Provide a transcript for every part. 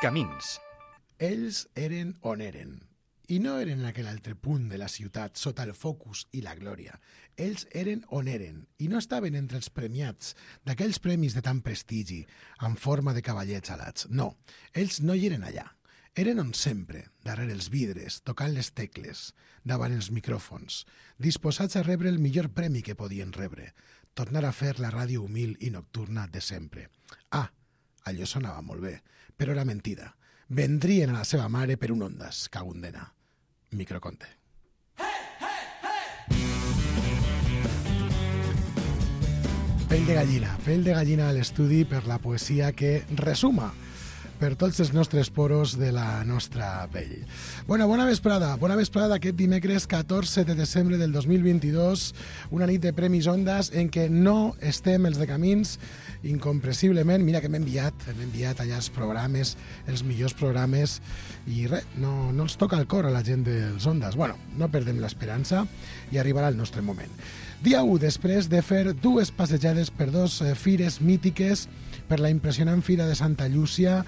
Camins. Ells eren on eren. I no eren en aquell altre punt de la ciutat, sota el focus i la glòria. Ells eren on eren, i no estaven entre els premiats d'aquells premis de tant prestigi, en forma de cavallets alats. No, ells no hi eren allà. Eren on sempre, darrere els vidres, tocant les tecles, davant els micròfons, disposats a rebre el millor premi que podien rebre, tornar a fer la ràdio humil i nocturna de sempre. Ah, allò sonava molt bé, però era mentida. Vendrien a la seva mare per un Ondas, cagundena. Microconte. Pell de gallina a l'estudi per la poesia que resuma per tots els nostres poros de la nostra pell. Bona vesprada aquest dimecres 14 de desembre del 2022, una nit de Premis Ondas en què no estem els de Camins incomprensiblement. Mira que m'he enviat allà els programes, els millors programes, i res, no els toca el cor a la gent dels Ondas. Bueno, no perdem l'esperança i arribarà el nostre moment. Dia 1, després de fer dues passejades per dos fires mítiques, per la impressionant Fira de Santa Llúcia,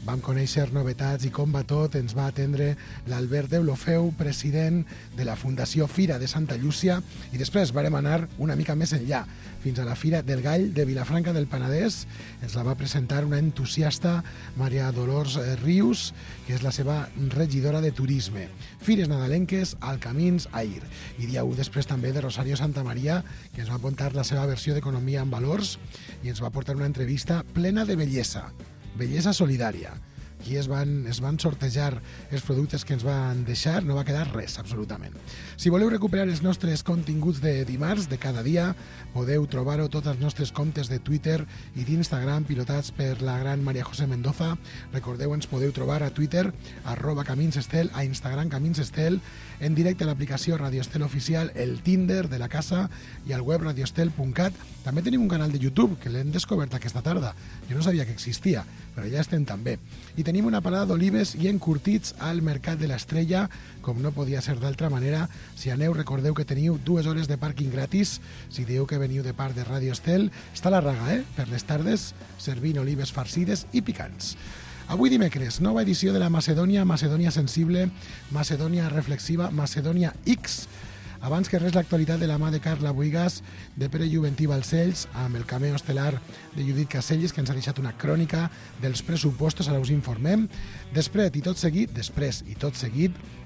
vam conèixer novetats i com va tot. Ens va atendre l'Albert Deulofeu, president de la Fundació Fira de Santa Llúcia, i després varem anar una mica més enllà, fins a la Fira del Gall de Vilafranca del Penedès. Ens la va presentar una entusiasta, Maria Dolors Rius, que és la seva regidora de Turisme. Fires nadalenques al Camins Air. I dia 1 després també de Rosario Santamaria, que ens va apuntar la seva versió d'Economia en Valors i ens va portar una entrevista plena de bellesa solidària. Aquí es van sortejar els productes que ens van deixar, no va quedar res, absolutament. Si voleu recuperar els nostres continguts de dimarts, de cada dia, podeu trobar-ho tots els nostres comptes de Twitter i d'Instagram, pilotats per la gran Maria José Mendoza. Recordeu, ens podeu trobar a Twitter, @CaminsEstel, a Instagram CaminsEstel, en directe a l'aplicació Radio Estel Oficial, el Tinder de la casa i al web radioestel.cat. També tenim un canal de YouTube, que l'hem descobert aquesta tarda. Jo no sabia que existia, però ja estem també. I tenim una parada d'olives i encurtits al Mercat de l'Estrella, com no podia ser d'altra manera. Si aneu, recordeu que teniu 2 hores de pàrquing gratis. Si dieu que veniu de part de Radio Estel, està la raga, per les tardes, servint olives farcides i picants. Avui dimecres, nova edició de la Macedònia, Macedònia sensible, Macedònia reflexiva, Macedònia X. Abans que res, l'actualitat de la mà de Carla Buigas, de Pere Juventí Balcells, amb el cameo estel·lar de Judit Caselles, que ens ha deixat una crònica dels pressupostos, ara us informem. Després i tot seguit,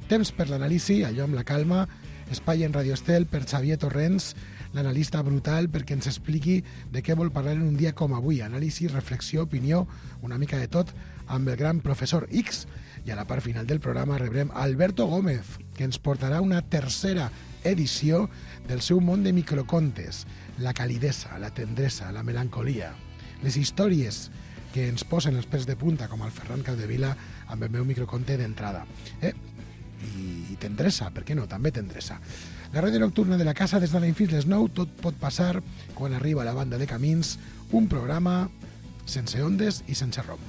temps per l'anàlisi, allò amb la calma, espai en Radio Estel per Xavier Torrents, l'analista brutal, perquè ens expliqui de què vol parlar en un dia com avui. Anàlisi, reflexió, opinió, una mica de tot, amb el gran professor X. I a la part final del programa rebrem Alberto Gómez, que ens portarà una tercera edició del seu món de microcontes, la calidesa, la tendresa, la melancolia, les històries que ens posen els pèls de punta, com el Ferran Capdevila amb el meu microconte d'entrada. I tendresa, per què no? També tendresa. La ràdio nocturna de la casa des de l'any fins les 9, tot pot passar quan arriba la banda de Camins, un programa sense ondes i sense rom.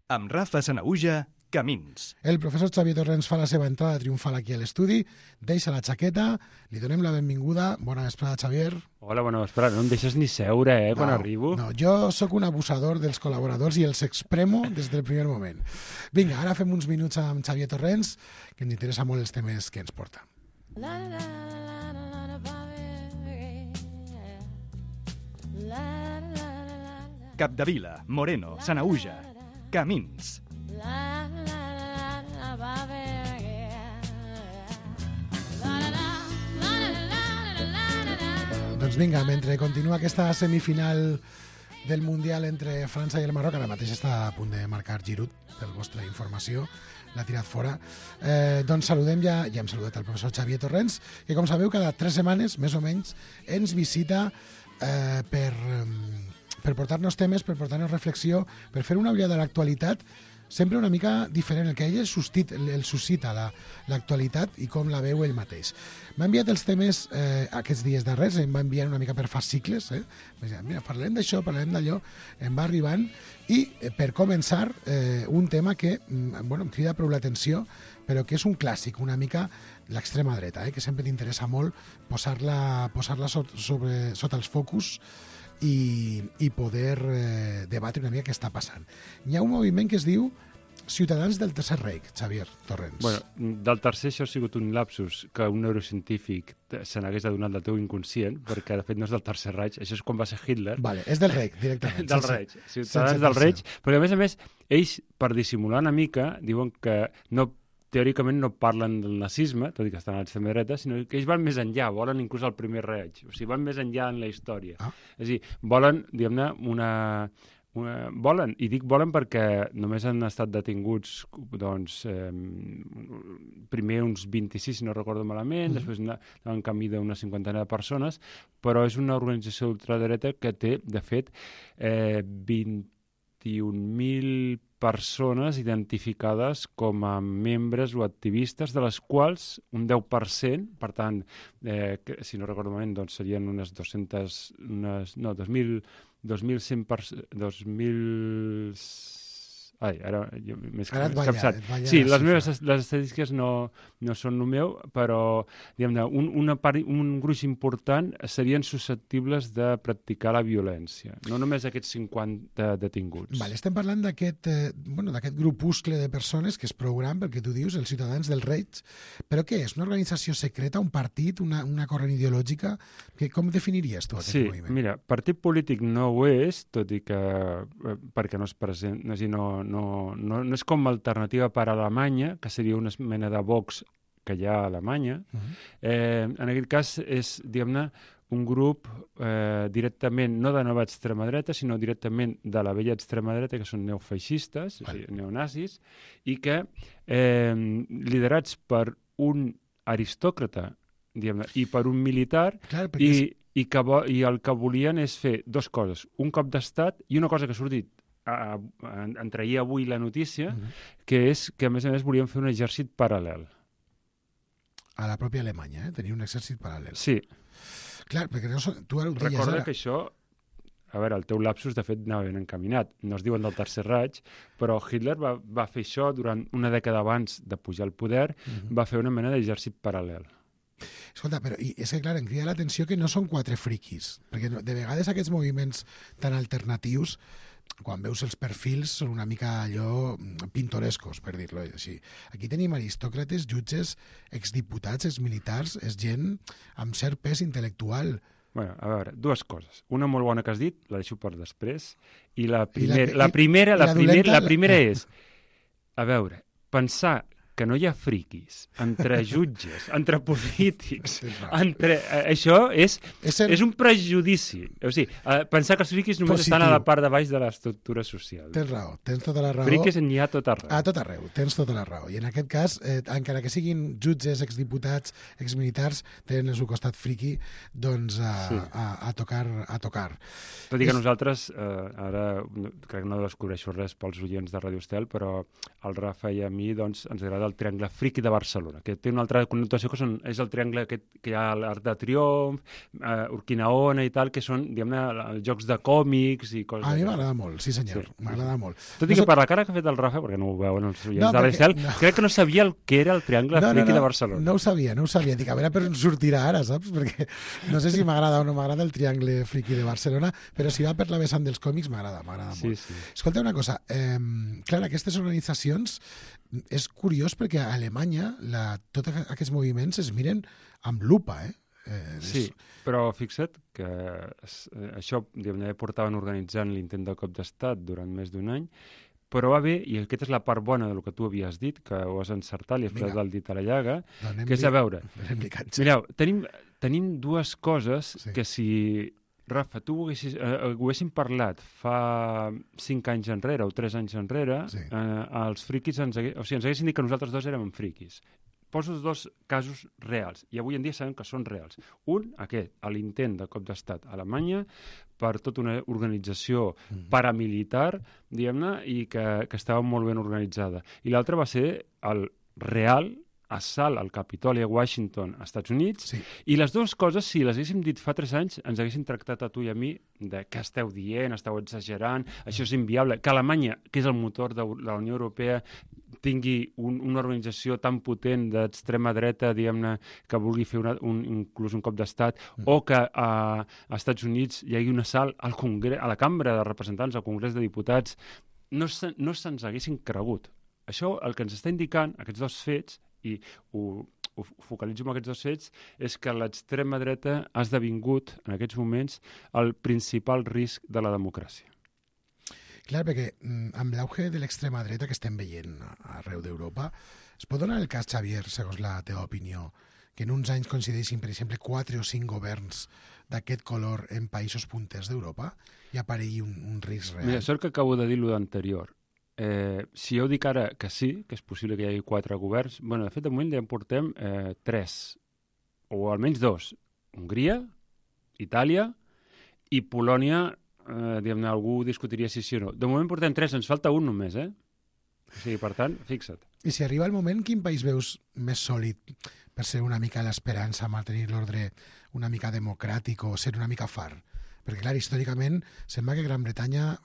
Amb Rafa Sanahuja, Camins. El professor Xavier Torrents fa la seva entrada triomfal aquí a l'estudi, deixa la jaqueta, li donem la benvinguda. Bona vesprada, Xavier. Hola, bona vesprada. No em deixes ni seure, quan arribo. No, jo sóc un abusador dels col·laboradors i els expremo des del primer moment. Vinga, ara fem uns minuts amb Xavier Torrents, que ens interessa molt els temes que ens porta. Capdevila, Moreno, Sanahuja, Camins. Doncs vinga, mentre continua aquesta semifinal del Mundial entre França i el Marroc, ara mateix està a punt de marcar Giroud, per vostra informació, l'ha tirat fora. Doncs saludem ja hem saludat el professor Xavier Torrents, que com sabeu cada 3 setmanes, més o menys, ens visita per portar-nos temes, per portar-nos reflexió, per fer una ullada a l'actualitat, sempre una mica diferent, el que ell el suscita l'actualitat i com la veu ell mateix. M'ha enviat els temes aquests dies darrers, em va enviar una mica per fascicles, mira, parlem d'això, parlem d'allò, em va arribant, i per començar, un tema que em crida prou l'atenció, però que és un clàssic una mica l'extrema dreta, que sempre t'interessa molt posar-la sota els focus i poder debatre una mica què està passant. Hi ha un moviment que es diu Ciutadans del Tercer Reich, Xavier Torrents. Bueno, del tercer això ha sigut un lapsus que un neurocientífic se n'hagués adonat del teu inconscient, perquè de fet no és del Tercer Reich, això és quan va ser Hitler. Vale, és del Reich, directament. Del Reich, Ciutadans del Reich, perquè a més, ells, per dissimular una mica, diuen que teòricament no parlen del nazisme, tot i que estan a l'extrema dreta, sinó que ells van més enllà, volen inclús el primer Reich, o sigui, van més enllà en la història. És a dir, volen, diguem-ne, volen, i dic volen perquè només han estat detinguts doncs, primer uns 26, si no recordo malament, després en canvi d'una cinquantena de persones, però és una organització d'ultradreta que té, de fet, 21.000 persones identificades com a membres o activistes, de les quals un 10%, per tant, si no recordo malament, doncs serien unes 2.100 Ai, ara m'he escapçat. Sí, les estadístiques no són el meu, però diguem-ne, un gruix important serien susceptibles de practicar la violència, no només aquests 50 detinguts. Vale, estem parlant d'aquest grupuscle de persones que és prou gran, pel que tu dius, els Ciutadans del Reich, però què és? Una organització secreta, un partit, una corrent ideològica? Com definiries tu aquest moviment? Sí, mira, partit polític no ho és, tot i que perquè no és present, no és com alternativa per a Alemanya, que seria una mena de Vox que hi ha a Alemanya. En aquest cas és, diguem-ne, un grup directament, no de nova extrema dreta, sinó directament de la vella extrema dreta, que són neofeixistes, o sigui, neonazis, i que, liderats per un aristòcrata, diguem-ne, i per un militar, i el que volien és fer dues coses, un cop d'estat i una cosa que ha sortit en traia avui la notícia, que és que, a més, volien fer un exèrcit paral·lel. A la pròpia Alemanya, tenir un exèrcit paral·lel. Sí. Clar, perquè tu ara ho deies ara. Recorda que això, a veure, el teu lapsus, de fet, anava ben encaminat. No es diuen del Tercer Reich, però Hitler va fer això durant una dècada abans de pujar al poder, va fer una mena d'exèrcit paral·lel. Escolta, però és que, clar, em crida l'atenció que no són quatre friquis, perquè de vegades aquests moviments tan alternatius, quan veus els perfils, són una mica allò pintorescos, per dir-lo així. Aquí tenim aristòcrates, jutges, exdiputats, exmilitars, és gent amb cert pes intel·lectual. Bueno, a veure, dues coses. Una molt bona que has dit, la deixo per després, i la primera és, a veure, pensar que no hi ha friquis entre jutges, entre polítics, això és un prejudici. O sigui, pensar que els friquis només estan a la part de baix de l'estructura social. Tens raó, tens tota la raó. Friquis n'hi ha a tot arreu. A tot arreu, tens tota la raó. I en aquest cas, encara que siguin jutges, exdiputats, exmilitars, tenen el seu costat friqui, doncs a tocar. Tot i que nosaltres, ara crec que no descobreixo res pels oients de Radio Estel, però el Rafa i a mi doncs, ens agrada el triangle friqui de Barcelona, que té una altra connotació que és el triangle que hi ha l'Arc de Triomf, Urquinaona i tal, que són, diguem-ne, els jocs de còmics i coses. A mi m'agrada molt, sí senyor, m'agrada molt. Tot i que per la cara que ha fet el Rafa, perquè no ho veuen els oients de l'Estel, crec que no sabia el que era el triangle friqui de Barcelona. No ho sabia. Dic, a veure per on sortirà ara, saps? Perquè no sé si m'agrada o no m'agrada el triangle friqui de Barcelona, però si va per la vessant dels còmics m'agrada molt. Sí. Escolta una cosa, clar, aquestes organitzacions és curiós perquè a Alemanya tots aquests moviments es miren amb lupa, Sí, però fixa't que això portaven organitzant l'intent de cop d'estat durant més d'un any, però va bé, i aquesta és la part bona del que tu havies dit, que ho has encertat, li has posat el dit a la llaga, que és a veure, mireu, tenim dues coses que si... Rafa, tu ho haguéssim parlat fa 5 anys enrere o 3 anys enrere, els friquis ens haguessin dit que nosaltres dos érem friquis. Poso els dos casos reals, i avui en dia sabem que són reals. Un, l'intent de cop d'estat a Alemanya per tota una organització paramilitar, diguem-ne, i que estava molt ben organitzada. I l'altre va ser el real assalt al Capitoli a Washington, als Estats Units, i les dues coses, si les haguéssim dit fa 3 anys, ens haguessin tractat a tu i a mi de què esteu dient, esteu exagerant, això és inviable, que Alemanya, que és el motor de la Unió Europea, tingui una organització tan potent d'extrema dreta, diguem-ne, que vulgui fer inclús un cop d'estat, o que a Estats Units hi hagi un assalt a la Cambra de Representants, al Congrés de Diputats, no se'ns haguessin cregut. Això el que ens està indicant, aquests dos fets, i ho focalitzo en aquests dos fets, és que l'extrema dreta ha esdevingut, en aquests moments, el principal risc de la democràcia. Clar, perquè amb l'auge de l'extrema dreta que estem veient arreu d'Europa, es pot donar el cas, Xavier, segons la teva opinió, que en uns anys coincideixin, per exemple, 4 o 5 governs d'aquest color en països punters d'Europa i aparegui un risc real? Mira, sort que acabo de dir lo d'anterior. Si jo dic ara que sí, que és possible que hi hagi 4 governs, bueno, de fet, de moment ja en portem 3, o almenys 2. Hongria, Itàlia i Polònia, diguem-ne, algú discutiria si o no. De moment portem 3, ens falta un només, O sigui, per tant, fixa't. I si arriba el moment, quin país veus més sòlid per ser una mica l'esperança, mantenir l'ordre una mica democràtic o ser una mica far? Perquè, clar, històricament sembla que Gran Bretanya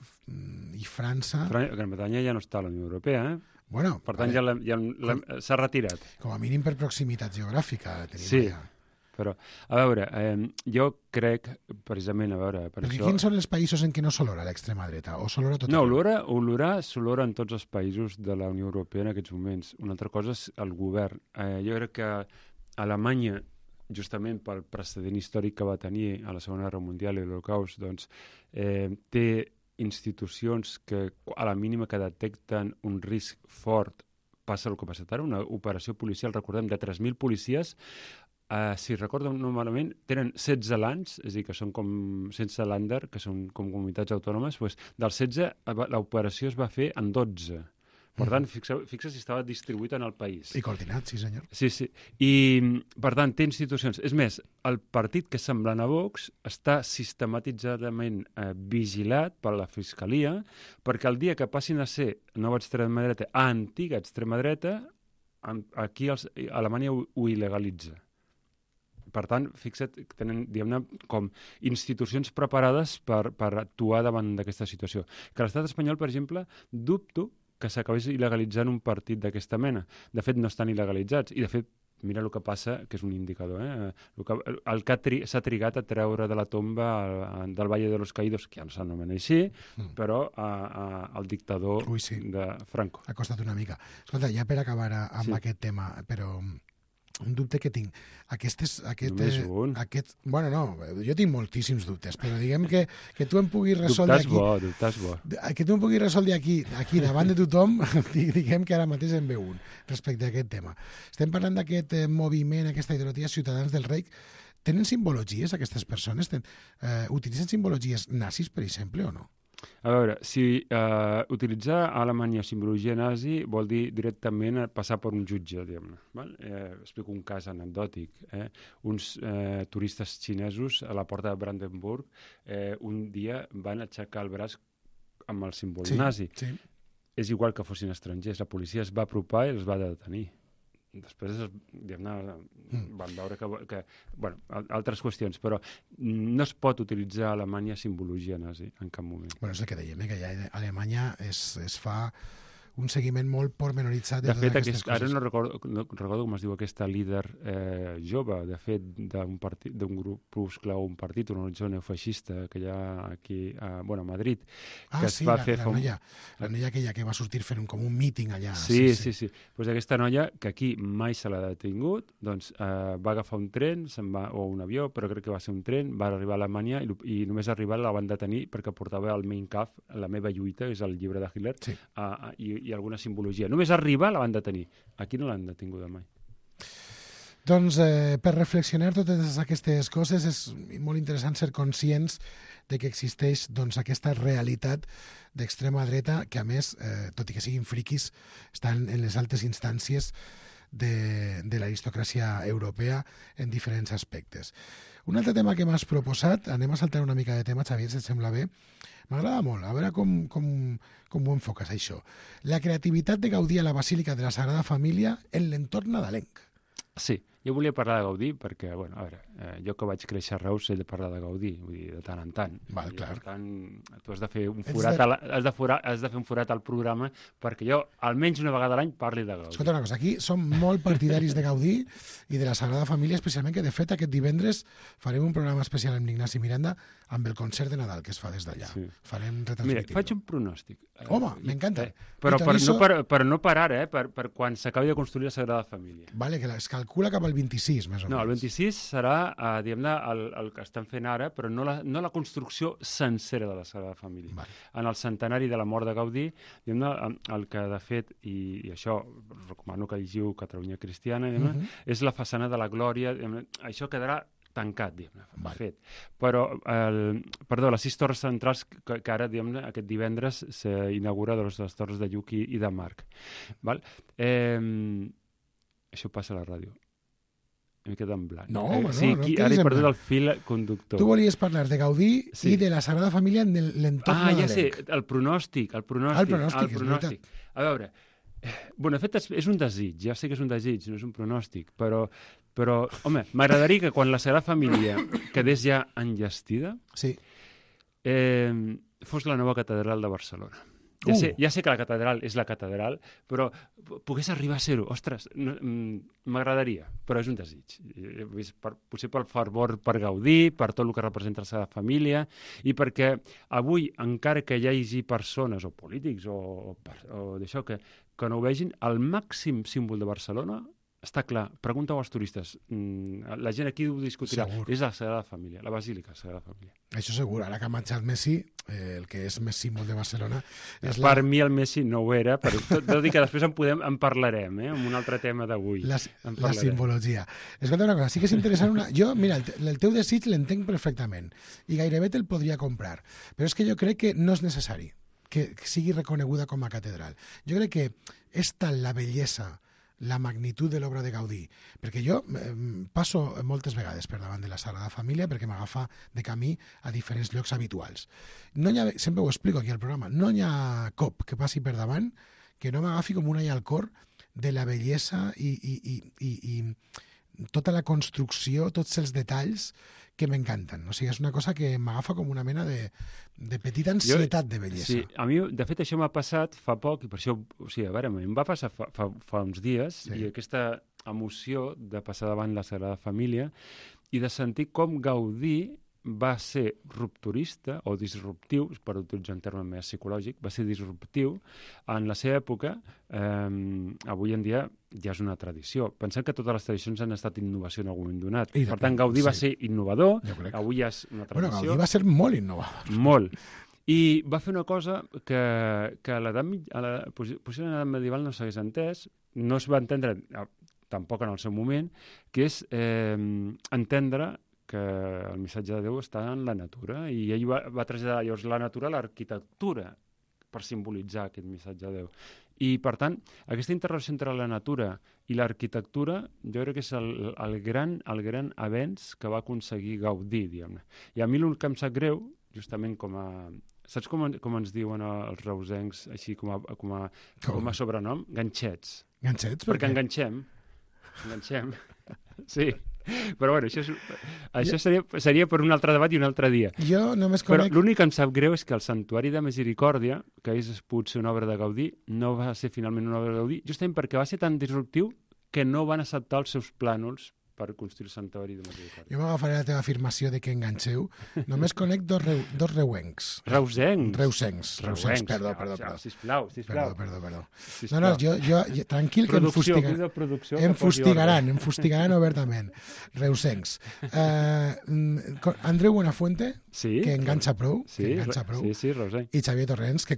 i França... Gran Bretanya ja no està a la Unió Europea, Bueno, per tant, s'ha retirat. Com a mínim per proximitat geogràfica. Sí, però, a veure, jo crec, precisament, per perquè això... quins són els països en què no s'olora l'extrema dreta? O s'olora tot? No, olorar s'olora en tots els països de la Unió Europea en aquests moments. Una altra cosa és el govern. Jo crec que Alemanya, justament pel precedent històric que va tenir a la Segona Guerra Mundial i l'Holocaust, doncs, té institucions que a la mínima que detecten un risc fort passa el que ha passat ara, una operació policial, recordem, de 3.000 policies, si recordo no malament, tenen 16 lands, és a dir, que són com sense Länder, que són com comunitats autònomes, doncs dels 16 l'operació es va fer en 12. Per tant, fixa si estava distribuït en el país. I coordinat, sí senyor. Sí. I, per tant, té institucions. És més, el partit que és semblant a Vox està sistematitzadament vigilat per la Fiscalia, perquè el dia que passin a ser nova extrema dreta a antiga extrema dreta, aquí Alemanya ho il·legalitza. Per tant, fixa't, tenen, diguem-ne, com institucions preparades per actuar davant d'aquesta situació. Que l'estat espanyol, per exemple, dubto que s'acabés il·legalitzant un partit d'aquesta mena. De fet, no estan il·legalitzats. I, de fet, mira el que passa, que és un indicador. El que s'ha trigat a treure de la tomba del Valle de los Caídos, que ja no s'anomena així, però el dictador de Franco. Ha costat una mica. Escolta, ja per acabar amb aquest tema, però un dubte que tinc. Només un? Bueno, no, jo tinc moltíssims dubtes, però diguem que tu em puguis resoldre aquí... Dubtes bo. Que tu em puguis resoldre aquí davant de tothom, diguem que ara mateix en ve un respecte a aquest tema. Estem parlant d'aquest moviment, aquesta ideologia Ciutadans del Reich. Tenen simbologies aquestes persones? Utilitzen simbologies nazis, per exemple, o no? A veure, si utilitzar a Alemanya simbologia nazi vol dir directament passar per un jutge, diguem-ne. Explico un cas anecdòtic. Uns turistes xinesos a la porta de Brandenburg un dia van aixecar el braç amb el símbol nazi. Sí. És igual que fossin estrangers. La policia es va apropar i els va detenir. Després, diguem-ne, van veure que altres qüestions, però no es pot utilitzar a Alemanya simbologia nazi en cap moment. Bueno, és el que dèiem, que allà a Alemanya es fa un seguiment molt pormenoritzat de fet, aquestes coses. Ara no recordo com es diu aquesta líder jove, de fet, d'un grupuscle o un partit, una organització neofeixista que hi ha aquí a Madrid. La noia aquella que va sortir fent com un míting allà. Sí. Pues aquesta noia, que aquí mai se l'ha detingut, doncs va agafar un tren, o un avió, però crec que va ser un tren, va arribar a Alemanya i només arribar la van detenir perquè portava el Mein Kampf, La meva lluita, que és el llibre de Hitler, i alguna simbologia. Només arribar la van detenir. Aquí no l'han detinguda mai. Doncs per reflexionar totes aquestes coses és molt interessant ser conscients de que existeix aquesta realitat d'extrema dreta que, a més, tot i que siguin friquis, estan en les altes instàncies de l'aristocràcia europea en diferents aspectes. Un altre tema que m'has proposat, anem a saltar una mica de tema, Xavier, si et sembla bé. M'agrada molt, a veure com ho enfoques, això. La creativitat de Gaudí a la Basílica de la Sagrada Família en l'entorn nadalenc. Sí, Jo volia parlar de Gaudí perquè, bueno, a veure, jo que vaig créixer a Reus he de parlar de Gaudí, vull dir, de tant en tant. Val, clar. Per tant, tu has de fer un forat, has de fer un forat al programa perquè jo, almenys una vegada a l'any, parli de Gaudí. Escolta una cosa, aquí som molt partidaris de Gaudí i de la Sagrada Família, especialment que, de fet, aquest divendres farem un programa especial amb l'Ignasi Miranda amb el concert de Nadal que es fa des d'allà. Sí. Farem retransmitir. Mira, faig un pronòstic. Home, m'encanta. Però no per ara, per quan s'acabi de construir la Sagrada Família. Vale, que es calcula cap al 26, més o menys. No, el 26 serà, diguem-ne, el que estan fent ara, però no la construcció sencera de la Sagrada Família. Vale. En el centenari de la mort de Gaudí, diguem-ne, el que de fet, i això recomano que llegiu Catalunya Cristiana, és la façana de la Glòria, això quedarà tancat, diguem-ne, fet. Però, les 6 torres centrals que ara, diguem-ne, aquest divendres s'inaugura de les torres de Lluc i de Marc. Val? Això passa a la ràdio. M'he quedat en blanc. No, home, sí, no ara he perdut el fil conductor. Tu volies parlar de Gaudí i de la Sagrada Família en l'entorn nadalenc. Ja sé, el pronòstic. El pronòstic, és veritat. A veure, bueno, de fet, és un desig, ja sé que és un desig, no és un pronòstic, però home, m'agradaria que quan la Sagrada Família quedés ja enllestida, sí. Fos la nova catedral de Barcelona. Ja sé que la catedral és la catedral, però pogués arribar a ser-ho. Ostres, m'agradaria, però és un desig. Potser pel fervor per Gaudí, per tot el que representa la seva família, i perquè avui, encara que hi hagi persones, o polítics, o d'això, que no ho vegin, el màxim símbol de Barcelona està clar, pregunta als turistes, la gent aquí ho discutirà, segur. És la Sagrada Família, la Basílica Sagrada Família. Això segur, ara que ha marxat Messi, el que és més símbol de Barcelona... Per mi el Messi no ho era, però tot i que després en parlarem, amb un altre tema d'avui. La simbologia. Escolta una cosa, sí que és interessant Jo, mira, el teu desig l'entenc perfectament i gairebé te'l podria comprar, però és que jo crec que no és necessari que sigui reconeguda com a catedral. Jo crec que és tal la bellesa, la magnitud de l'obra de Gaudí, perquè jo passo moltes vegades per davant de la Sagrada Família perquè m'agafa de camí a diferents llocs habituals. Sempre ho explico aquí al programa, no hi ha cop que passi per davant que no m'agafi com una i al cor de la bellesa i tota la construcció, tots els detalls que m'encanten. O sigui, és una cosa que m'agafa com una mena de petita ansietat de bellesa. Sí, a mi, de fet, això m'ha passat fa poc, i per això, o sigui, a veure, em va passar fa uns dies, sí. I aquesta emoció de passar davant la Sagrada Família i de sentir com Gaudí va ser rupturista o disruptiu, per utilitzar un terme més psicològic, va ser disruptiu en la seva època. Avui en dia ja és una tradició. Pensem que totes les tradicions han estat innovació en algun moment donat. Per tant, Gaudí va ser innovador, avui ja és una tradició. Bueno, Gaudí va ser molt innovador. Molt. I va fer una cosa que a l'edat medieval no s'hagués entès, no es va entendre tampoc en el seu moment, que és entendre que el missatge de Déu està en la natura, i ell va traslladar llavors la natura a l'arquitectura per simbolitzar aquest missatge de Déu. I, per tant, aquesta interrelació entre la natura i l'arquitectura jo crec que és el gran avenç que va aconseguir Gaudí, diguem-ne. I a mi el que em sap greu, justament com a... Saps com ens diuen els reusencs, així com a sobrenom? Ganxets. Ganxets? Perquè enganxem. Sí. Però bueno, això seria per un altre debat i un altre dia. Jo només conec... Però l'únic que em sap greu és que el Santuari de Misericòrdia, que és potser una obra de Gaudí, no va ser finalment una obra de Gaudí, justament perquè va ser tan disruptiu que no van acceptar els seus plànols per construir el Santuari de Misericòrdia. Jo m'agafaré la teva afirmació de que enganxeu. Només conec dos reuencs. Reusencs, perdó. Sisplau. Perdó. No, jo tranquil, que em fustigaran obertament. Reusencs. Andreu Buenafuente, que enganxa prou. Sí, reusenc. I Xavier Torrents, que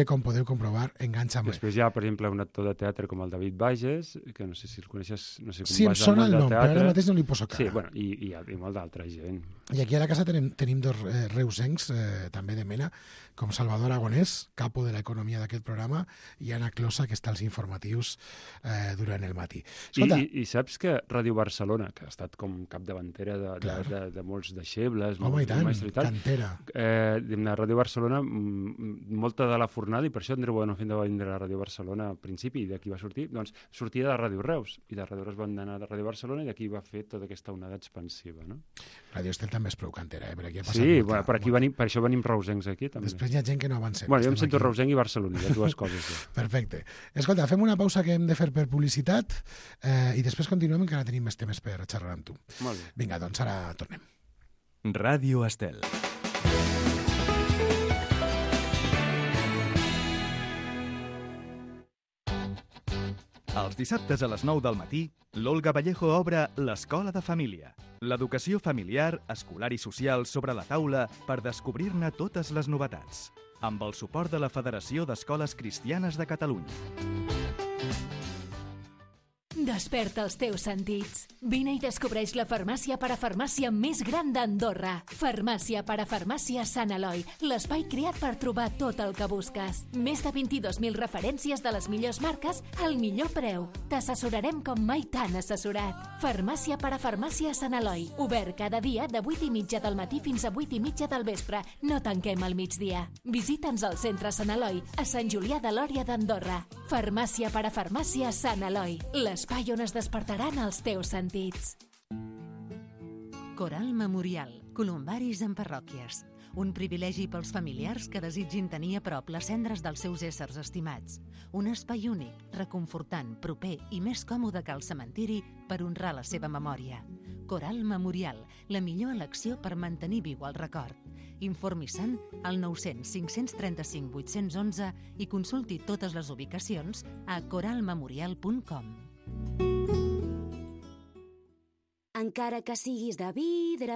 com podeu comprovar, enganxa molt. Després hi ha, per exemple, un actor de teatre com el David Bages, que no sé si el coneixes, no sé com sí, em sona el nom, però ara mateix no li poso cara. Sí, bueno, i molt d'altra gent. I aquí a la casa tenim dos reusencs, també de mena, com Salvador Aragonès, capo de l'economia d'aquest programa, i Anna Closa, que està als informatius durant el matí. I saps que Ràdio Barcelona, que ha estat com capdavantera de molts deixebles, home, i tant, cantera. Ràdio Barcelona, molta de la fornada, i per això Andreu Buenofent va vindre a Ràdio Barcelona al principi, i d'aquí va sortir, doncs sortia de Ràdio Reus, i de Ràdio Reus van anar a Ràdio Barcelona, i d'aquí va fer tota aquesta onada expansiva, no? Ràdio Estel també és prou cantera, per aquí ha passat Sí, bueno, per això venim reusencs aquí, també. Després hi ha gent que no avancem. Bueno, jo em sento reusenc i barceloní, les dues coses. Ja. Perfecte. Escolta, fem una pausa que hem de fer per publicitat i després continuem, encara tenim més temes per xerrar amb tu. Molt bé. Vinga, doncs ara tornem. Ràdio Estel. Els dissabtes a les 9 del matí, l'Olga Vallejo obre l'Escola de Família. L'educació familiar, escolar i social sobre la taula per descobrir-ne totes les novetats. Amb el suport de la Federació d'Escoles Cristianes de Catalunya. Desperta els teus sentits. Vine i descobreix la farmàcia parafarmàcia més gran d'Andorra. Farmàcia parafarmàcia Sant Eloi, l'espai creat per trobar tot el que busques. Més de 22.000 referències de les millors marques al millor preu. T'assessorarem com mai t'han assessorat. Farmàcia parafarmàcia Sant Eloi, obert cada dia de 8:30 del matí fins a 8:30 del vespre. No tanquem al migdia. Visita'ns al centre Sant Eloi, a Sant Julià de Lòria d'Andorra. Farmàcia parafarmàcia Sant Eloi, l'espai on es despertaran els teus sentits. Coral Memorial, columbaris en parròquies. Un privilegi pels familiars que desitgin tenir a prop les cendres dels seus éssers estimats. Un espai únic, reconfortant, proper i més còmode que el cementiri per honrar la seva memòria. Coral Memorial, la millor elecció per mantenir viu el record. Informi-se'n al 900 535 811 i consulti totes les ubicacions a coralmemorial.com. Encara que siguis de vidre...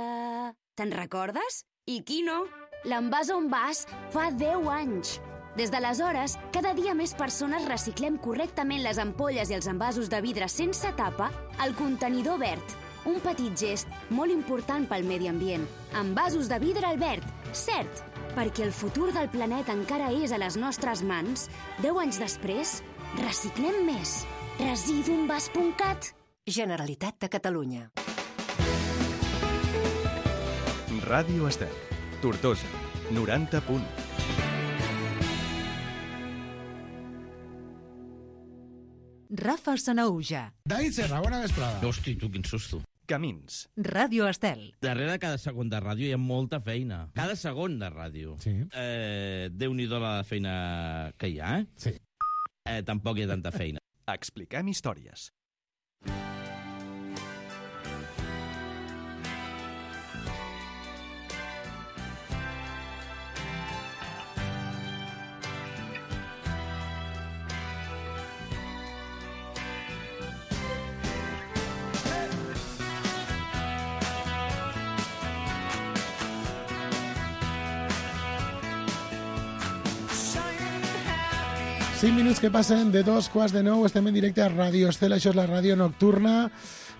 Te'n recordes? I qui no? L'Envàs on vas fa 10 anys. Des d'aleshores, cada dia més persones reciclem correctament les ampolles i els envasos de vidre sense tapa al contenidor verd. Un petit gest molt important pel medi ambient. Envasos de vidre al verd, cert, perquè el futur del planeta encara és a les nostres mans. 10 anys després, reciclem més. Residuenvas.cat. Generalitat de Catalunya. Ràdio Estel. Tortosa, 90 punt. Rafa Sanaúja. David Serra, bona vesprada. Hosti, tu, quin susto. Camins. Ràdio Estel. Darrere cada segon de ràdio hi ha molta feina. Cada segon de ràdio. Sí. Déu-n'hi-do la feina que hi ha, eh? Sí. Tampoc hi ha tanta feina. Expliquem històries. Cinc minuts que passen de 2:15, estem en directe a Ràdio Estel, això és la ràdio nocturna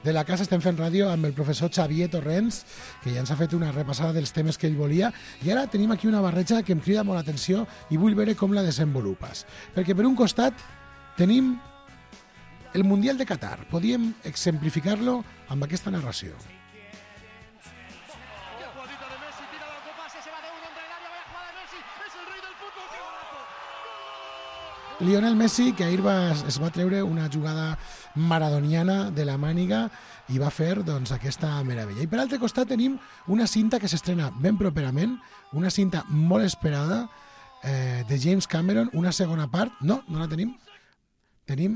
de la casa, estem fent ràdio amb el professor Xavier Torrents, que ja ens ha fet una repassada dels temes que ell volia, i ara tenim aquí una barreja que em crida molt l'atenció i vull veure com la desenvolupes. Perquè per un costat tenim el Mundial de Qatar, podíem exemplificar-lo amb aquesta narració. Lionel Messi, que ahir es va treure una jugada maradoniana de la màniga i va fer doncs, aquesta meravella. I per l'altre costat tenim una cinta que s'estrena ben properament, una cinta molt esperada de James Cameron, una segona part. No la tenim. Tenim,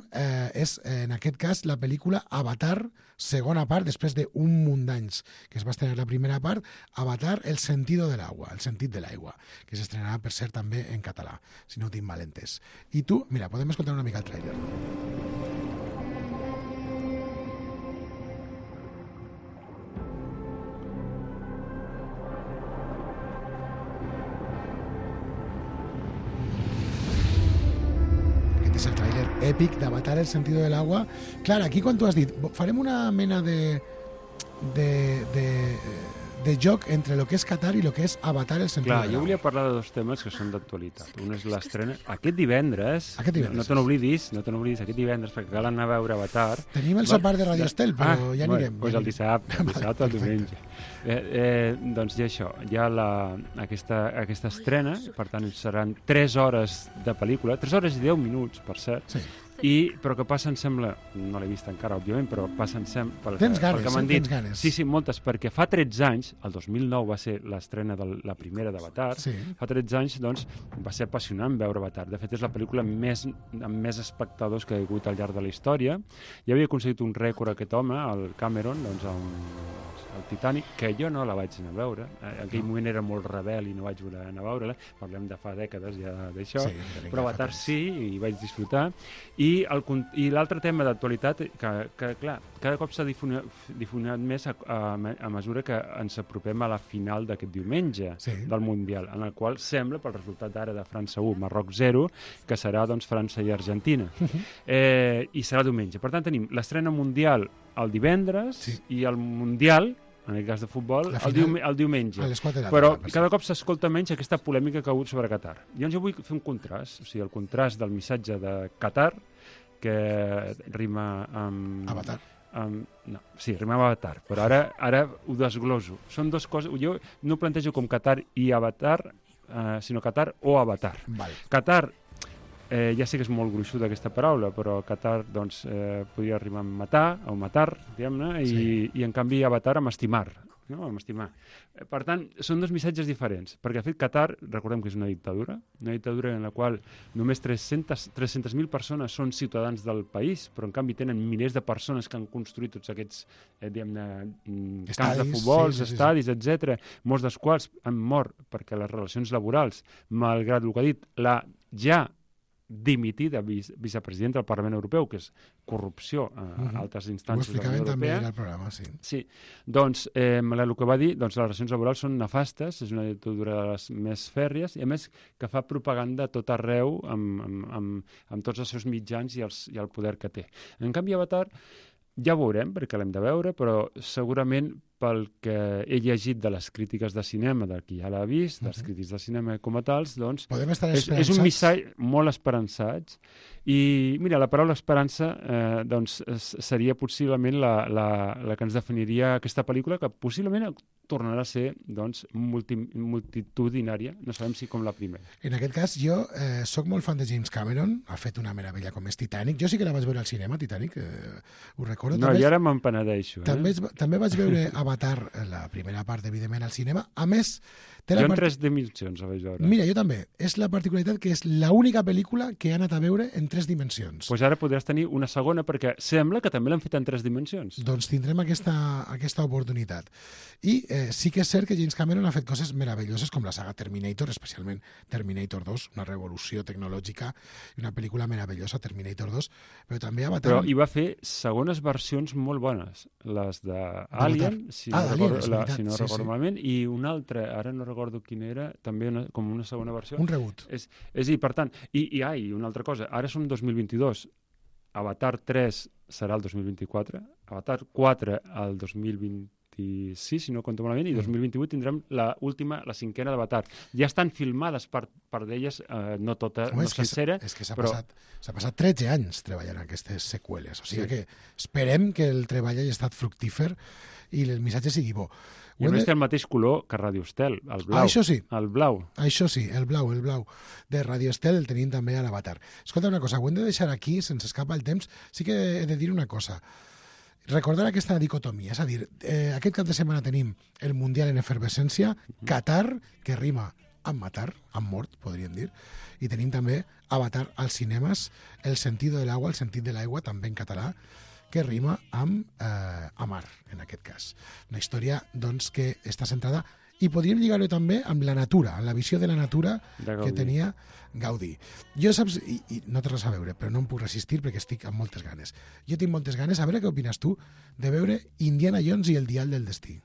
és en aquest cas, la pel·lícula Avatar, segona part, després d'un munt d'anys que es va estrenar la primera part, Avatar, el sentido del agua, el sentit de l'aigua, que s'estrenarà, per cert, també en català, si no ho tinc mal entès. I tu, mira, podem escoltar una mica el tràiler. És el tràiler èpic d'Avatar, el sentido del agua. Clar, aquí quan tu has dit farem una mena de de joc entre el que és Qatar i el que és Avatar, el sentido Clar, del jo agua. volia parlar de dos temes que són d'actualitat. Un és l'estrena aquest divendres. Aquest divendres. No te n'oblidis, aquest divendres, perquè cal anar a veure Avatar. Tenim el sopar de Radio Estel, però ja anirem. Doncs el dissabte, el diumenge. Doncs ja això, hi ha aquesta estrena, per tant seran 3 hores de pel·lícula, 3 hores i 10 minuts, per cert, Sí. però que passa, em sembla, no l'he vist encara, òbviament, però passa, em sembla, Tens ganes, pel que m'han dit. tens ganes. Sí, moltes, perquè fa 13 anys, el 2009 va ser l'estrena de la primera d'Avatar, Sí. fa 13 anys, doncs, va ser apassionant veure Avatar. De fet, és la pel·lícula amb més espectadors que hi ha hagut al llarg de la història. Ja havia aconseguit un rècord aquest home, el Cameron, doncs, el Titanic, que jo no la vaig anar a veure. En aquell moment era molt rebel i no vaig voler anar a veure-la. Parlem de fa dècades ja d'això. Sí, però Avatar sí, i vaig disfrutar. I l'altre tema d'actualitat, que clar, cada cop s'ha difuminat més a mesura que ens apropem a la final d'aquest diumenge del Mundial, en el qual sembla, pel resultat ara de França 1, Marroc 0, que serà doncs, França i Argentina. I serà diumenge. Per tant, tenim l'estrena mundial el divendres i el mundial, en el cas de futbol, el diumenge. A les 4 de la Però tarda, cada cop s'escolta menys aquesta polèmica que ha hagut sobre Qatar. Llavors jo vull fer un contrast, o sigui, el contrast del missatge de Qatar, que rima amb... Avatar. No, sí, rima amb Avatar, però ara ho desgloso. Són dues coses, jo no ho plantejo com Qatar i Avatar, sinó Qatar o Avatar. Val. Qatar, ja sé que és molt gruixuda aquesta paraula, però Qatar doncs, podria rimar amb matar, o matar, diguem-ne, i en canvi Avatar amb estimar. No? Amb estimar. Per tant, són dos missatges diferents, perquè de fet Qatar, recordem que és una dictadura en la qual només 300.000 persones són ciutadans del país, però en canvi tenen milers de persones que han construït tots aquests camps de futbol, estadis, etc., molts dels quals han mort perquè les relacions laborals, malgrat el que ha dit la ja dimitida vicepresidenta del Parlament Europeu, que és corrupció a altres instàncies de la Unió Europea. Ho explicaven també al programa, sí. Sí, doncs el que va dir, doncs les relacions laborals són nefastes, és una dictadura de les més fèrries, i a més que fa propaganda a tot arreu amb tots els seus mitjans i el poder que té. En canvi, Avatar, ja ho veurem, perquè l'hem de veure, però segurament pel que he llegit de les crítiques de cinema, del qui ja l'ha vist, dels crítics de cinema com a tals, doncs és un missatge molt esperançats. I mira, la paraula esperança doncs, seria possiblement la que ens definiria aquesta pel·lícula, que possiblement tornarà a ser doncs, multitudinària, no sabem si com la primera. En aquest cas, jo sóc molt fan de James Cameron, ha fet una meravella com és Titanic. Jo sí que la vaig veure al cinema, Titanic, ho recordo. No, i ara me'n penedeixo. També vaig veure Avatar, la primera part, evidentment, al cinema. A més, jo en 3 dimensions la vaig veure. Mira, jo també. És la particularitat que és l'única pel·lícula que he anat a veure en 3 dimensions. Doncs ara podràs tenir una segona, perquè sembla que també l'han fet en 3 dimensions. Doncs tindrem aquesta oportunitat. I sí que és cert que James Cameron ha fet coses meravelloses, com la saga Terminator, especialment Terminator 2, una revolució tecnològica i una pel·lícula meravellosa, Terminator 2, però també Avatar... Però hi va fer segones versions molt bones, les d'Alien, si no recordo malament, i una altra, ara no recordo quina era, també com una segona versió. Un reboot. És a dir, per tant, i una altra cosa, ara som 2022, Avatar 3 serà el 2024, Avatar 4 el 2026, si no compto malament, i 2028 tindrem la 5a d'Avatar. Ja estan filmades per d'elles, no tota, no sencera. És que s'ha passat 13 anys treballant aquestes seqüeles, o sigui que esperem que el treball hagi estat fructífer i el missatge sigui bo. I a més té el mateix color que Radio Estel, el blau. Això sí. El blau. Això sí, el blau de Radio Estel el tenim també a l'Avatar. Escolta una cosa, ho hem de deixar aquí, sense escapa el temps. Sí que he de dir una cosa. Recordar aquesta dicotomia, és a dir, aquest cap de setmana tenim el Mundial en efervescència, Qatar, que rima amb matar, amb mort, podríem dir, i tenim també Avatar als cinemes, El sentido del agua, el sentit de l'aigua, també en català, que rima amb amar, en aquest cas. Una història, doncs, que està centrada, i podríem lligar-ho també amb la natura, amb la visió de la natura que tenia Gaudí. Jo, saps, i no té res a veure, però no em puc resistir perquè estic amb moltes ganes. Jo tinc moltes ganes, a veure què opines tu, de veure Indiana Jones i el dial del destí.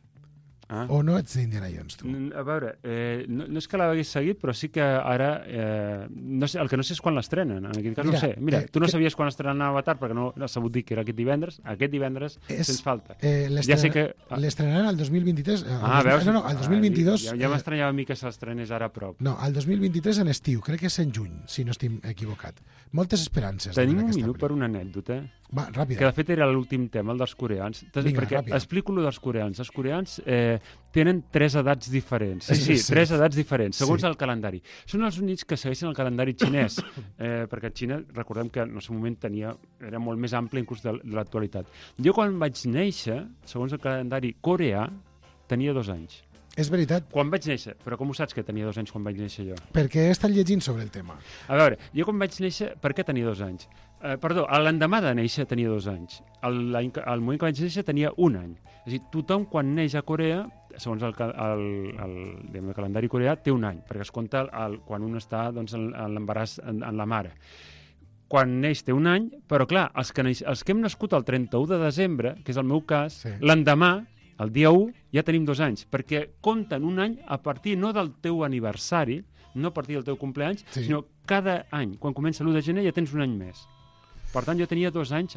O no ets d'Indiana Jones, tu? A veure, no és que l'hagués seguit, però sí que ara... no sé, el que no sé és quan l'estrenen. En aquest cas no sé. Mira, tu no sabies quan estrenava Avatar perquè no has sabut dir que era aquest divendres. Aquest divendres sens falta. Ja sé que... L'estrenaran el 2023. Veus? No, el 2022... Ja m'estranyava a mi que s'estrenés ara a prop. No, el 2023 en estiu. Crec que és en juny, si no estic equivocat. Moltes esperances. Tenim un minut per una anècdota. Va, ràpida. Que de fet era l'últim tema, el dels coreans. Vinga, perquè ràpida. explico el dels coreans. Els coreans tenen 3 edats diferents. Sí, 3 edats diferents, segons el calendari. Són els únics que segueixen el calendari xinès, perquè Xina, recordem que en el seu moment era molt més ampli inclús de l'actualitat. Jo quan vaig néixer, segons el calendari coreà, tenia 2 anys. És veritat. Quan vaig néixer, però com ho saps que tenia 2 anys quan vaig néixer jo? Perquè he estat llegint sobre el tema. A veure, jo quan vaig néixer, per què tenia 2 anys? Perdó, l'endemà de néixer tenia 2 anys. Al moment que vaig néixer tenia 1 any. És a dir, tothom quan neix a Corea, segons el calendari coreà, té 1 any, perquè es compta quan un està en l'embaràs en la mare. Quan neix té 1 any, però clar, els que hem nascut el 31 de desembre, que és el meu cas, l'endemà, el dia 1, ja tenim 2 anys, perquè compten 1 any a partir no del teu aniversari, no a partir del teu compleanys, sinó cada any. Quan comença l'1 de gener ja tens 1 any més. Per tant, jo tenia 2 anys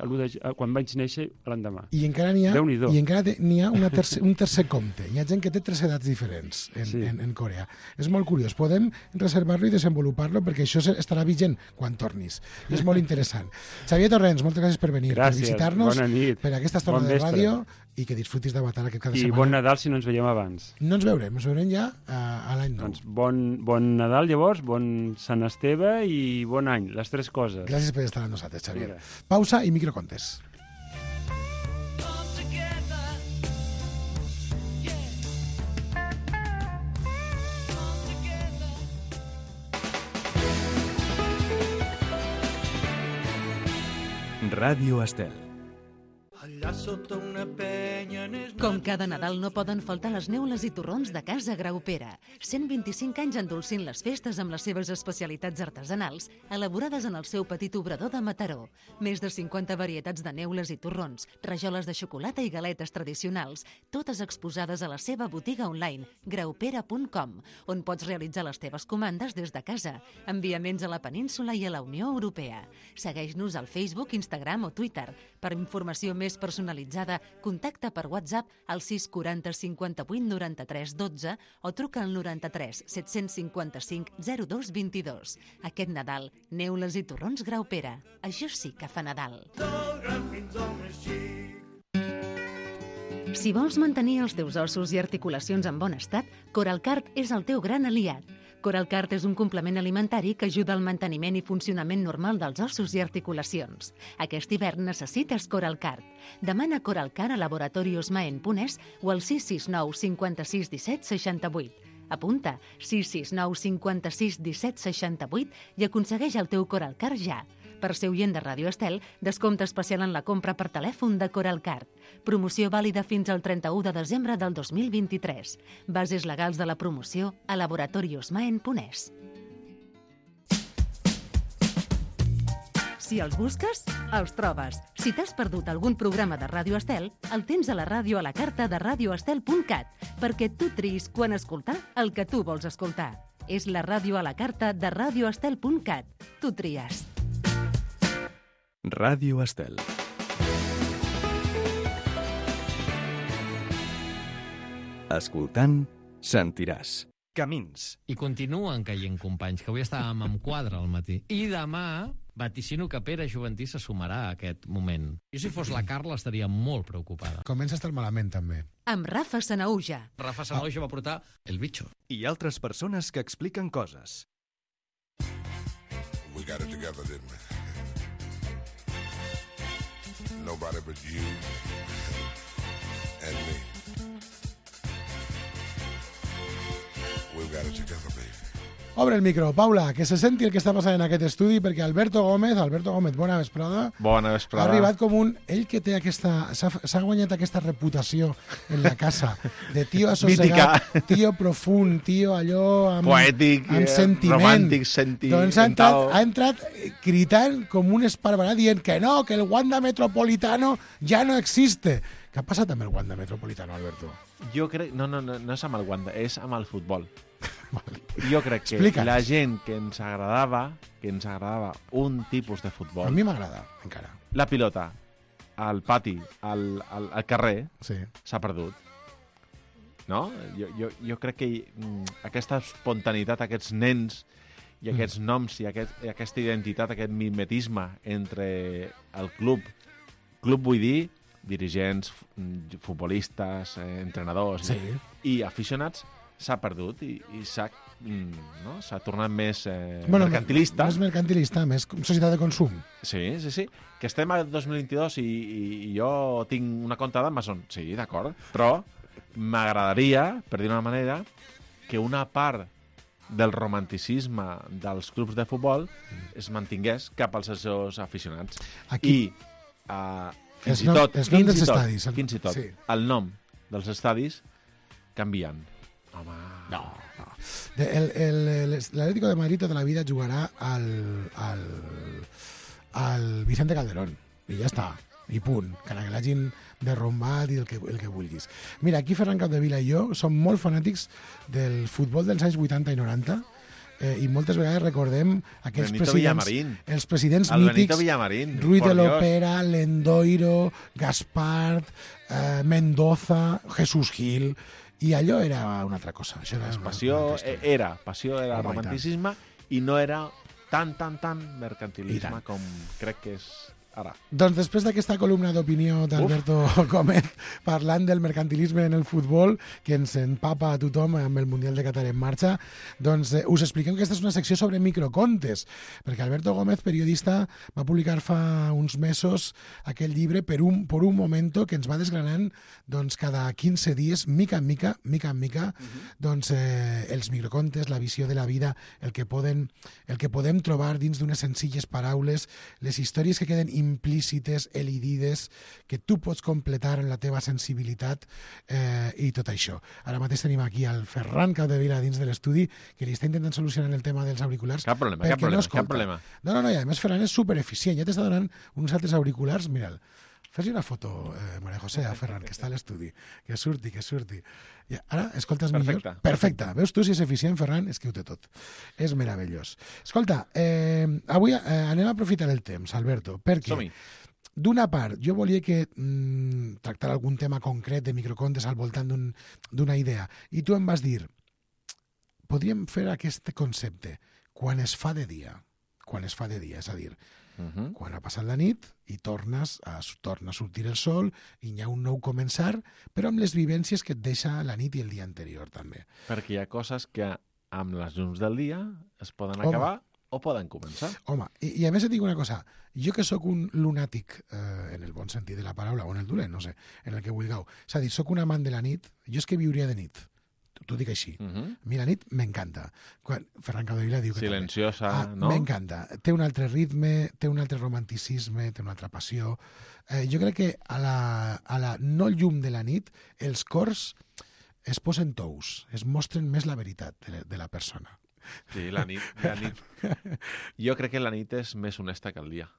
quan vaig néixer l'endemà. I encara n'hi ha un tercer compte. Hi ha gent que té 3 edats diferents en Corea. És molt curiós. Podem reservar-lo i desenvolupar-lo perquè això estarà vigent quan tornis. I és molt interessant. Xavier Torrents, moltes gràcies per venir, per visitar-nos, per aquesta estona de ràdio i que disfrutis d'Avatar aquest cada setmana. I bon Nadal si no ens veiem abans. No ens veurem ja a l'any nou. Doncs bon Nadal llavors, bon Sant Esteve i bon any, les 3 coses. Gràcies per estar amb nosaltres, Xavier. Pausa i microcontes. Ràdio Estel. Com cada Nadal no poden faltar les neules i torrons de Casa Graupera. 125 anys endolcint les festes amb les seves especialitats artesanals, elaborades en el seu petit obrador de Mataró. Més de 50 varietats de neules i torrons, rajoles de xocolata i galetes tradicionals, totes exposades a la seva botiga online, graupera.com, on pots realitzar les teves comandes des de casa, enviaments a la península i a la Unió Europea. Segueix-nos al Facebook, Instagram o Twitter. Per informació més personalitzada, contacta per WhatsApp al 640 58 93 12 o truca al 93 755 02 22. Aquest Nadal, neules i torrons Graupera. Això sí que fa Nadal. Si vols mantenir els teus ossos i articulacions en bon estat, Coralcart és el teu gran aliat. Coralcart és un complement alimentari que ajuda al manteniment i funcionament normal dels ossos i articulacions. Aquest hivern necessites Coralcart. Demana Coralcart a Laboratorios Maen Punès o al 669 56 17 68. Apunta 669 56 17 68 i aconsegueix el teu Coralcart ja. Per ser oient de Ràdio Estel, descompte especial en la compra per telèfon de Coralcart. Promoció vàlida fins al 31 de desembre del 2023. Bases legals de la promoció a Laboratorios Maen Punès. Si els busques, els trobes. Si t'has perdut algun programa de Ràdio Estel, el tens a la ràdio a la carta de radioestel.cat, perquè tu triïs quan escoltar el que tu vols escoltar. És la ràdio a la carta de radioestel.cat. Tu tries. Ràdio Estel. Escoltant, sentiràs. Camins. I continuen caient companys, que avui estàvem amb quadre al matí. I demà vaticino que Pere Juventí se sumarà a aquest moment. Jo, si fos la Carla, estaria molt preocupada. Comença a estar malament, també. Amb Rafa Sanauja. Rafa Sanauja va portar El Bicho. I altres persones que expliquen coses. We got it together, didn't we? Nobody but you and me. We've got it together, baby. Obre el micro, Paula, que se senti el que està passant en aquest estudi, perquè Alberto Gómez, bona vesprada, Bona vesprada. ha arribat com un... Ell que té aquesta... S'ha guanyat aquesta reputació en la casa de tio assossegat, tio profund, tio allò amb... Poètic, amb sentiment. romàntic, Doncs ha entrat cridant com un esparverat dient que no, que el Wanda Metropolitano ja no existe. Què ha passat amb el Wanda Metropolitano, Alberto? Jo crec... No és amb el Wanda, és amb el futbol. Jo crec que Explica'ns. la gent que ens agradava un tipus de futbol... A mi m'agrada, encara. La pilota, al pati, al carrer, Sí. s'ha perdut. No? Jo crec que aquesta espontaneïtat, aquests nens i aquests noms i aquesta identitat, aquest mimetisme entre el club vull dir, dirigents, futbolistes, entrenadors i aficionats, s'ha perdut i s'ha tornat més mercantilista. Més mercantilista, més societat de consum. Sí. Que estem al 2022 i jo tinc una compta d'Amazon. Sí, d'acord. Però m'agradaria, per dir d'una manera, que una part del romanticisme dels clubs de futbol es mantingués cap als seus aficionats. Aquí... I fins i tot, sí. el nom dels estadis canvien. Home... No. L'Atlético de Madrid tota la vida jugarà al Vicente Calderón. I ja està. I punt. Que l'hagin derrombat i el que vulguis. Mira, aquí Ferran Capdevila i jo som molt fanàtics del futbol dels anys 80 i 90 i moltes vegades recordem aquells els presidents mítics, Ruiz de Lopera, Lendoiro, Gaspart, Mendoza, Jesús Gil, i allò era una altra cosa. Això era passió, era romanticisme i no era tan mercantilisme com crec que és ara. Doncs després d'aquesta columna d'opinió d'Alberto Gómez parlant del mercantilisme en el futbol, que ens empapa a tothom amb el Mundial de Qatar en marxa, doncs us expliquem que aquesta és una secció sobre microcontes, perquè Alberto Gómez, periodista, va publicar fa uns mesos aquell llibre Por un momento, que ens va desgranant doncs, cada 15 dies, mica en mica, doncs, els microcontes, la visió de la vida, el que podem trobar dins d'unes senzilles paraules, les històries que queden implícites, elidides, que tu pots completar en la teva sensibilitat i tot això. Ara mateix tenim aquí el Ferran Capdevila dins de l'estudi, que li està intentant solucionar el tema dels auriculars. Cap problema. No, i a més Ferran és supereficient, ja t'està donant uns altres auriculars, mira'l. Fes-li una foto, Maria José, a Ferran, que està a l'estudi. Que surti. Ja, ara, escoltes millor? Perfecte. Veus tu si és eficient, Ferran? És que ho té tot. És meravellós. Escolta, avui anem a aprofitar el temps, Alberto, perquè d'una part, jo volia tractar algun tema concret de microcontes al voltant d'una idea, i tu em vas dir, podríem fer aquest concepte quan es fa de dia, és a dir, quan ha passat la nit i torna a sortir el sol i hi ha un nou començar, però amb les vivències que et deixa la nit i el dia anterior també. Perquè hi ha coses que amb les llums del dia es poden acabar o poden començar. Home, i a més et dic una cosa, jo que sóc un lunàtic en el bon sentit de la paraula, o en el dolent, no sé, en el que vulgueu, és a dir, sóc un amant de la nit, jo és que viuria de nit. T'ho dic així. A mi la nit m'encanta. Ferran Capdevila diu que silenciosa, no? M'encanta. Té un altre ritme, té un altre romanticisme, té una altra passió. Jo crec que a la no llum de la nit els cors es posen tous, es mostren més la veritat de la persona. Sí, la nit. Jo crec que la nit és més honesta que el dia.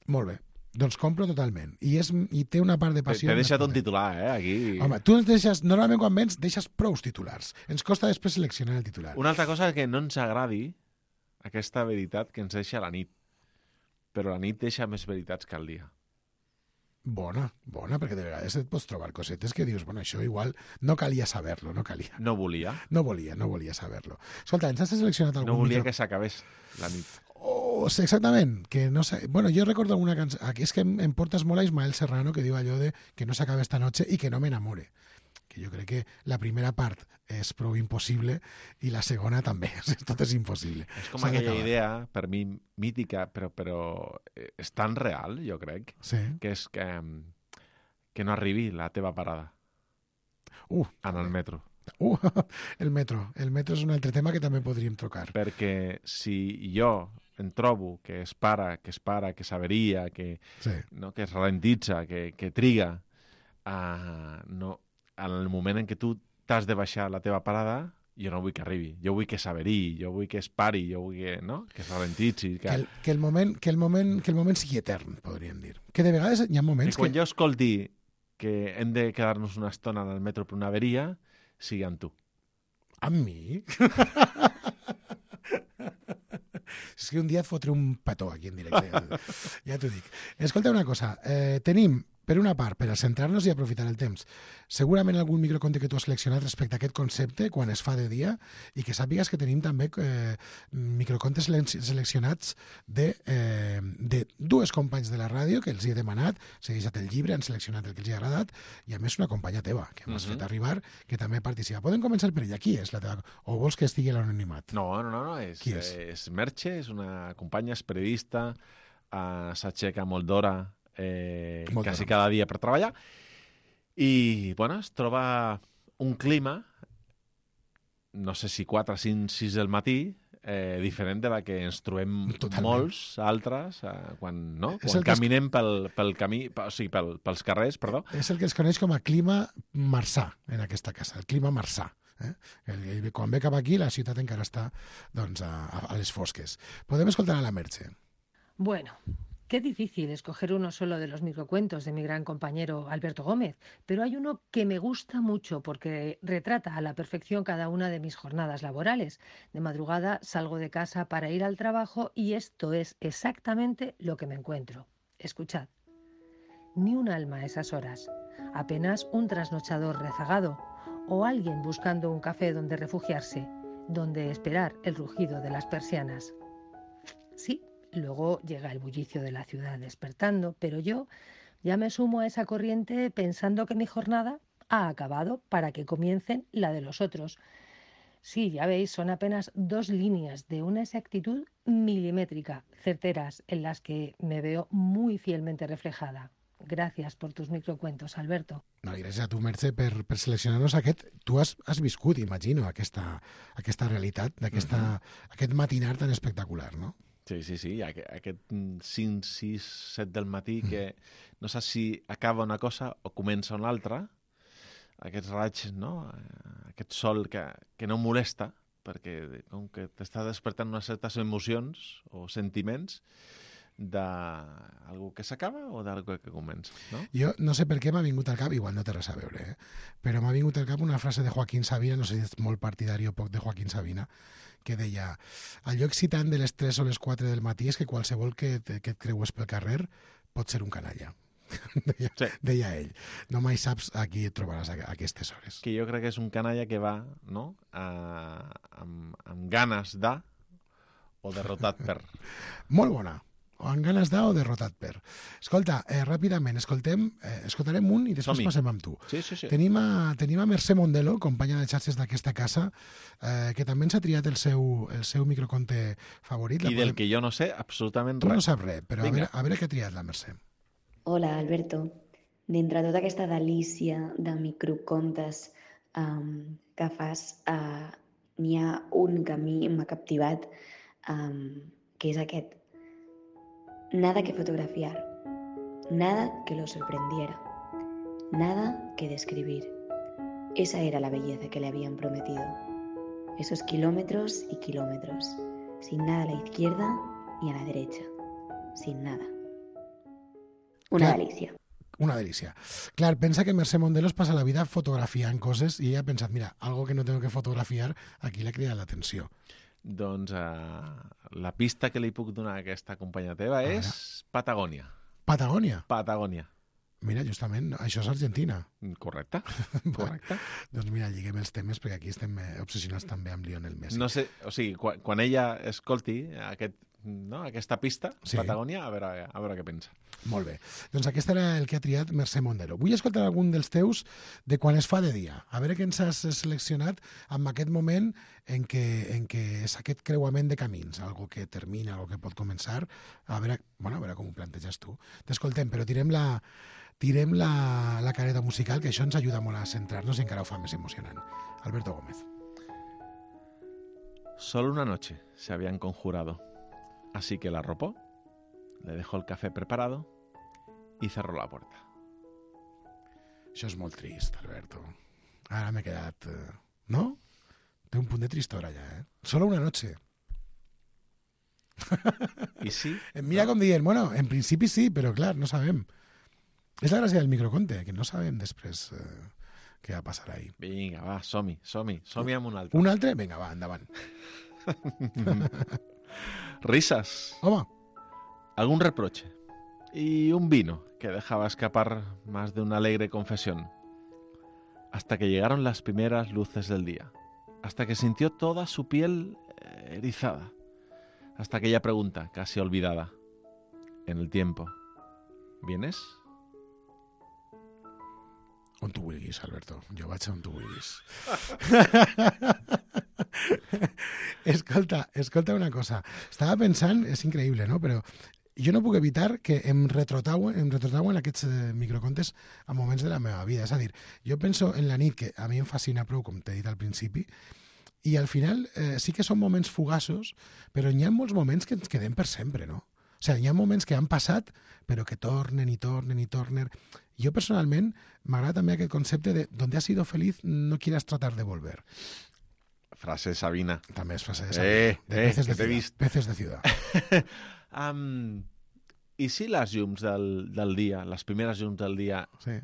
Molt bé. Doncs compro totalment. I té una part de passió... T'he deixat un titular, aquí. Home, tu ens deixes... Normalment quan vens deixes prous titulars. Ens costa després seleccionar el titular. Una altra cosa és que no ens agradi aquesta veritat que ens deixa la nit. Però la nit deixa més veritats que el dia. Bona, perquè de vegades et pots trobar cosetes que dius, bueno, això igual no calia saber-lo, no calia. No volia saber-lo. Escolta, ens has seleccionat algun... No volia que s'acabés la nit. Exactament, que no sé... Bueno, jo recordo alguna cançó... Aquí és que em portes molt a Ismael Serrano, que diu allò de que no s'acabe esta noche i que no m'enamore. Que jo crec que la primera part és prou impossible i la segona també. Tot és impossible. És com aquella idea, per mi, mítica, però és tan real, jo crec, que és que no arribi la teva parada en el metro. El metro. El metro és un altre tema que també podríem tocar. Perquè si jo em trobo que es para, que s'averia, que es ralentitza, que triga, en el moment en què tu t'has de baixar la teva parada, jo no vull que arribi, jo vull que s'averi, jo vull que es pari, jo vull que es ralentitzi. Que el moment sigui etern, podríem dir. Que de vegades hi ha moments que... Quan jo escolti que hem de quedar-nos una estona en el metro per una averia, sigui amb tu. Amb mi? És que un dia et fotré un petó aquí en directe. Ja t'ho dic. Escolta una cosa. Tenim, per una part, per a centrar-nos i aprofitar el temps, segurament algun microconte que tu has seleccionat respecte a aquest concepte quan es fa de dia, i que sàpigues que tenim també microcontes seleccionats de dues companys de la ràdio que els hi he demanat, s'ha deixat el llibre, han seleccionat el que els hi ha agradat, i a més una companya teva, que m'has fet arribar, que també participa. Podem començar per ella. Qui és la teva? O vols que estigui a l'anonimat? No. És Merche, és una companya, és periodista, s'aixeca molt d'hora, quasi cada dia per treballar, i es troba un clima, no sé si 4, 5, 6 del matí, diferent de la que ens trobem molts altres quan caminem pel camí, o sigui, pels carrers, perdó. És el que es coneix com a clima marsà en aquesta casa, el clima marsà. Quan ve cap aquí, la ciutat encara està a les fosques. Podem escoltar a la Merche. Bueno, qué difícil escoger uno solo de los microcuentos de mi gran compañero Alberto Gómez, pero hay uno que me gusta mucho porque retrata a la perfección cada una de mis jornadas laborales. De madrugada salgo de casa para ir al trabajo y esto es exactamente lo que me encuentro. Escuchad. Ni un alma a esas horas, apenas un trasnochador rezagado o alguien buscando un café donde refugiarse, donde esperar el rugido de las persianas. Sí. Luego llega el bullicio de la ciudad despertando, pero yo ya me sumo a esa corriente pensando que mi jornada ha acabado para que comiencen la de los otros. Sí, ya veis, son apenas 2 líneas de una exactitud milimétrica, certeras, en las que me veo muy fielmente reflejada. Gràcies per tus microcuentos, Alberto. No, gràcies a tu, Merche, per seleccionar-nos aquest. Tu has viscut, imagino, aquesta realitat, aquest matinar tan espectacular, no? Sí, aquest 5, 6, 7 del matí que no saps si acaba una cosa o comença una altra, aquests raigs, no? Aquest sol que no molesta, perquè com que t'està despertant unes certes emocions o sentiments d'algú que s'acaba o d'algú que comença, no? Jo no sé per què m'ha vingut al cap, igual no té res a veure, però m'ha vingut al cap una frase de Joaquín Sabina, no sé si ets molt partidari o poc de Joaquín Sabina, que deia, allò excitant de les 3 o les 4 del matí és que qualsevol que et creues pel carrer pot ser un canalla. Deia ell. No mai saps a qui et trobaràs a aquestes hores. Que jo crec que és un canalla que va, no?, amb ganes de o derrotat per. Molt bona. O amb ganes de o derrotat per. Escolta, ràpidament, escoltarem un i després passem amb tu. Sí. Tenim a Mercè Mondelo, companya de xarxes d'aquesta casa, que també ens ha triat el seu microconte favorit. I del que jo no sé absolutament res. Tu no saps res, però a veure què ha triat la Mercè. Hola, Alberto. D'entre tota aquesta delícia de microcontes que fas, n'hi ha un que a mi m'ha captivat, que és aquest. Nada que fotografiar, nada que lo sorprendiera, nada que describir. Esa era la belleza que le habían prometido. Esos kilómetros y kilómetros, sin nada a la izquierda ni a la derecha, sin nada. Una delícia. Una delícia. Clar, pensa que Mercè Mondelo es passa la vida fotografiant coses i ella ha pensat, mira, algo que no tengo que fotografiar, aquí l'ha cridat l'atenció. Doncs la pista que li puc donar a aquesta companya teva és Patagònia. Patagònia? Patagònia. Mira, justament, això és Argentina. Correcte. Doncs mira, lliguem els temes perquè aquí estem obsessionats també amb Lionel Messi. No sé, o sigui, quan ella escolti aquesta pista, sí. Patagònia, a veure què pensa. Molt bé. Doncs aquest era el que ha triat Mercè Mondero. Vull escoltar algun dels teus de quan es fa de dia. A veure què ens has seleccionat en aquest moment en què és aquest creuament de camins, algo que termina, algo que pot començar. A veure com ho planteges tu. T'escoltem, però tirem la careta musical, que això ens ajuda molt a centrar-nos i encara ho fa més emocionant. Alberto Gómez. Solo una noche se habían conjurado, así que la arropó, le dejó el café preparado y cerró la puerta. Això és molt trist, Alberto. Ara m'he quedat... No? Té un punt de tristora ja, eh? Solo una noche. I sí? Mira com dient, bueno, en principi sí, però clar, no sabem. És la gràcia del microconte, que no sabem després què va passar ahí. Vinga, va, som-hi amb un altre. Un altre? Vinga, va, endavant. Risas. Home. Algún reproche. Y un vino que dejaba escapar más de una alegre confesión. Hasta que llegaron las primeras luces del día. Hasta que sintió toda su piel erizada. Hasta aquella pregunta, casi olvidada. En el tiempo. ¿Vienes? On tu vulguis, Alberto. Jo vaig on tu vulguis. Escolta una cosa. Estava pensant, és increïble, no? Però jo no puc evitar que em retrotrauen aquests microcontes a moments de la meva vida. És a dir, jo penso en la nit, que a mi em fascina prou, com t'he dit al principi, i al final sí que són moments fugaços, però hi ha molts moments que ens quedem per sempre, no? O sigui, hi ha moments que han passat, però que tornen i tornen i tornen. Jo, personalment, m'agrada també aquest concepte de donde has sido feliz, no quieras tratar de volver. Frase Sabina. També és frase de Sabina. Que t'he vist. Peces de ciudad. I si les llums del dia, les primeres llums del dia, sí,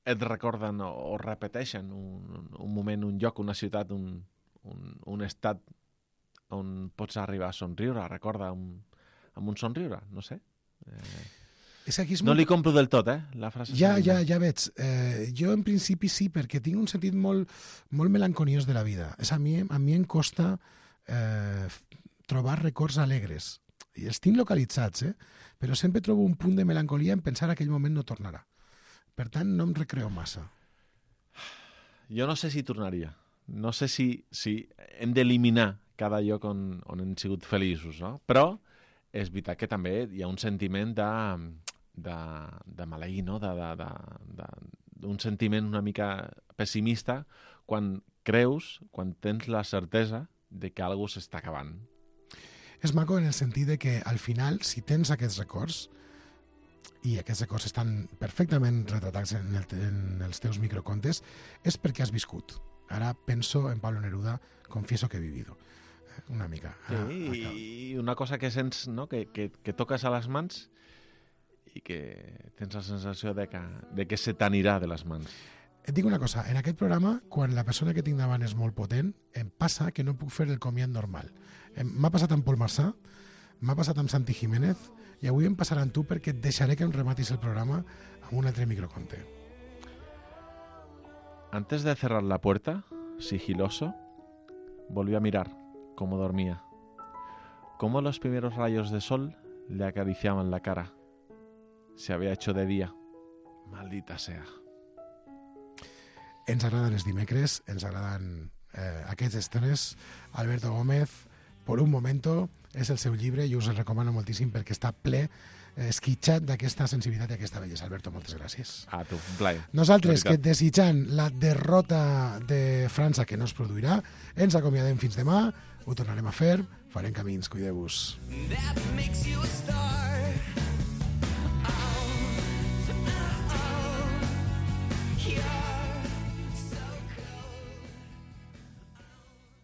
et recorden o repeteixen un moment, un lloc, una ciutat, un estat on pots arribar a somriure, recorda amb un somriure, no sé. No li compro del tot, la frase. Ja veig. Jo, en principi, sí, perquè tinc un sentit molt melanconiós de la vida. A mi em costa trobar records alegres. I els tinc localitzats, però sempre trobo un punt de melancolia en pensar que aquell moment no tornarà. Per tant, no em recreo massa. Jo no sé si tornaria. No sé si hem d'eliminar cada lloc on hem sigut feliços, no? Però és veritat que també hi ha un sentiment de maleir, no? Un sentiment una mica pessimista quan tens la certesa de que alguna cosa s'està acabant. És maco en el sentit de que al final, si tens aquests records, i aquests records estan perfectament retratats en els teus microcontes, és perquè has viscut. Ara penso en Pablo Neruda, confieso que he vivido. Una mica. I una cosa que sents, no? que toques a les mans i que tens la sensació de que se t'anirà de les mans. Et dic una cosa, en aquest programa, quan la persona que tinc davant és molt potent, em passa que no puc fer el comiat normal. M'ha passat amb Paul Marçà, m'ha passat amb Santi Jiménez, i avui em passarà amb tu perquè et deixaré que em rematis el programa amb un altre microconte. Antes de cerrar la puerta, sigiloso, volví a mirar cómo dormía, cómo los primeros rayos de sol le acariciaban la cara. Se había hecho de día. Maldita sea. Ens agraden els dimecres, ens agraden aquests estones. Alberto Gómez, Por un momento, és el seu llibre i us el recomano moltíssim perquè està ple, esquitxat d'aquesta sensibilitat i aquesta bellesa. Alberto, moltes gràcies. A tu, un plaer. Nosaltres, que desitjant la derrota de França, que no es produirà, ens acomiadem fins demà, ho tornarem a fer, farem camins, cuideu-vos. That makes you a star.